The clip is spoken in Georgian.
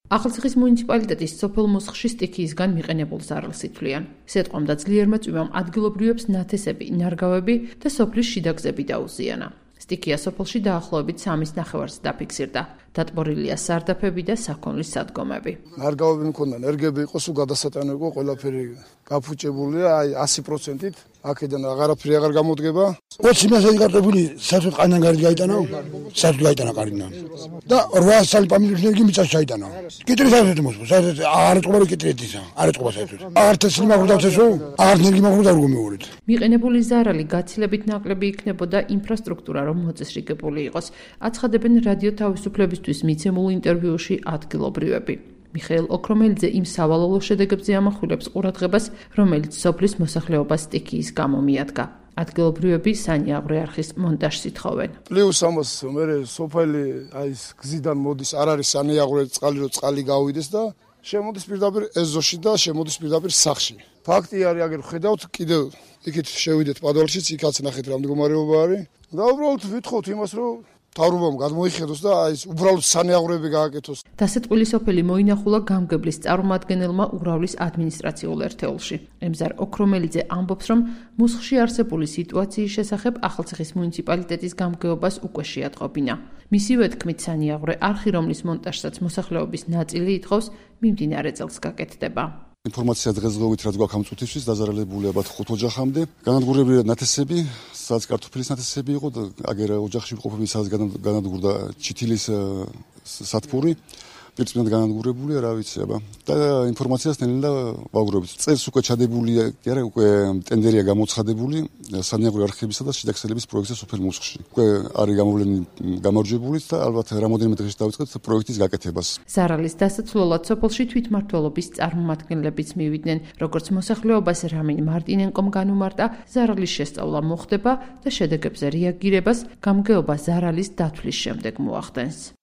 ახალციხის მუნიციპალიტეტის სოფელ მუსხში სტიქიისგან მიყენებულ ზარალს ითვლიან. სიტყვამ და ძლიერმა წვიმამ ადგილობრივებს ნათესები, ნარგავები და სოფლის შიდა გზები დაუზიანა. სტიქია სოფელში დაახლოებით 3 ნახევარს დაფიქსირდა. დატბორილია სარდაფები და საქონლის სადგომები. ნარგავები მქონდა, ნერგები იყო, სულ გადასატანო იყო, ყველაფერი გაფუჭებულია, აი 100%-ით. აქედან აღარაფერი აღარ გამოდგება. 20 მასალი კარტოფილი საერთოდ ყანან გარეთ გაიტანა, საერთოდ გაიტანა ყარიდან. და 800 სალი პამილის ნერგი მიწაში ჩაიტანა. კიტრი საერთოდ მოსვა, საერთოდ არ ეწყობა კიტრეთისა, არ ეწყობა საერთოდ. აღარ თესლი მაგურდაცესო, აღარ ნერგი მაგურდა როგორ მეურეთ. მიყენებული ზარალი გაცილებით ნაკლები იქნებოდა ინფრასტრუქტურა რომ მოწესრიგებული იყოს. აცხადებენ რადიო თავისუფლებისთვის მიცემულ ინტერვიუში ადგილობრივები. მიხეილ ოქრომელიძე იმ სავალალო შედეგებზე ამახვილებს ყურადღებას, რომელიც სოფლის მოსახლეობას სტიქიის გამო მიადგა. ადგილობრივები სანიაღვრე არხის მონტაჟს ითხოვენ. პლუს ამას მე სოფელი აი გზიდან მოდის, არ არის სანიაღვრე წყალი, რომ წყალი გავიდეს და შემოდის პირდაპირ ეზოში და შემოდის პირდაპირ სახში. ფაქტი არის, აგერ ხედავთ, კიდევ იქით შევიდეთ პადვალშიც, იქაც ნახეთ რა მდგომარეობა არის. და უბრალოდ ვითხოვთ იმას, რომ თავრობამ გადმოიხედოს და აი უბრალოდ სანიაღვრეები გააკეთოს. დასეტყვილი სოფელი მოინახულა გამგებლის წარმომადგენელმა ურავლის ადმინისტრაციულ ერთეულში. ემზარ ოქრომელიძე ამბობს, რომ მუსხში არსებული სიტუაციის შესახებ ახალციხის მუნიციპალიტეტის გამგეობას უკვე შეატყობინა. მისივე თქმით, სანიაღვრე არხი, რომლის მონტაჟსაც მოსახლეობის ნაწილი ითხოვს, მიმდინარე წელს გაკეთდება. ინფორმაცია დღესდღეობით რაც გვაქვს ამ წუთისთვის დაზარალებულია ალბათ 5 ოჯახამდე. განადგურებული ნათესები, სადაც კარტოფილის ნათესები იყო და აგერ ოჯახში მყოფები, სადაც განადგურდა ჩითილის სათბური. პირწმინად განადგურებულია, რა ვიცი, აბა. და ინფორმაციას ნელა ვაგროვებთ. წელს უკვე ჩადებულია, კი არა, უკვე ტენდერია გამოცხადებული სანიაღვრე არხებისა და შიდაქსელების პროექტზე სოფელ მუსხში. უკვე არის გამოვლენილი გამარჯვებულიც და ალბათ რამოდენიმე დღეში დავიწყეთ პროექტის გაკეთებას. ზარალის დასაცვლელად სოფელში თვითმმართველობის წარმომადგენლებიც მივიდნენ, როგორც მოსახლეობას რამინ მარტინენკომ განუმარტა, ზარალის შესწავლა მოხდება და შედეგებზე რეაგირებას გამგეობა ზარალის დათვლის შემდეგ მოახდენს.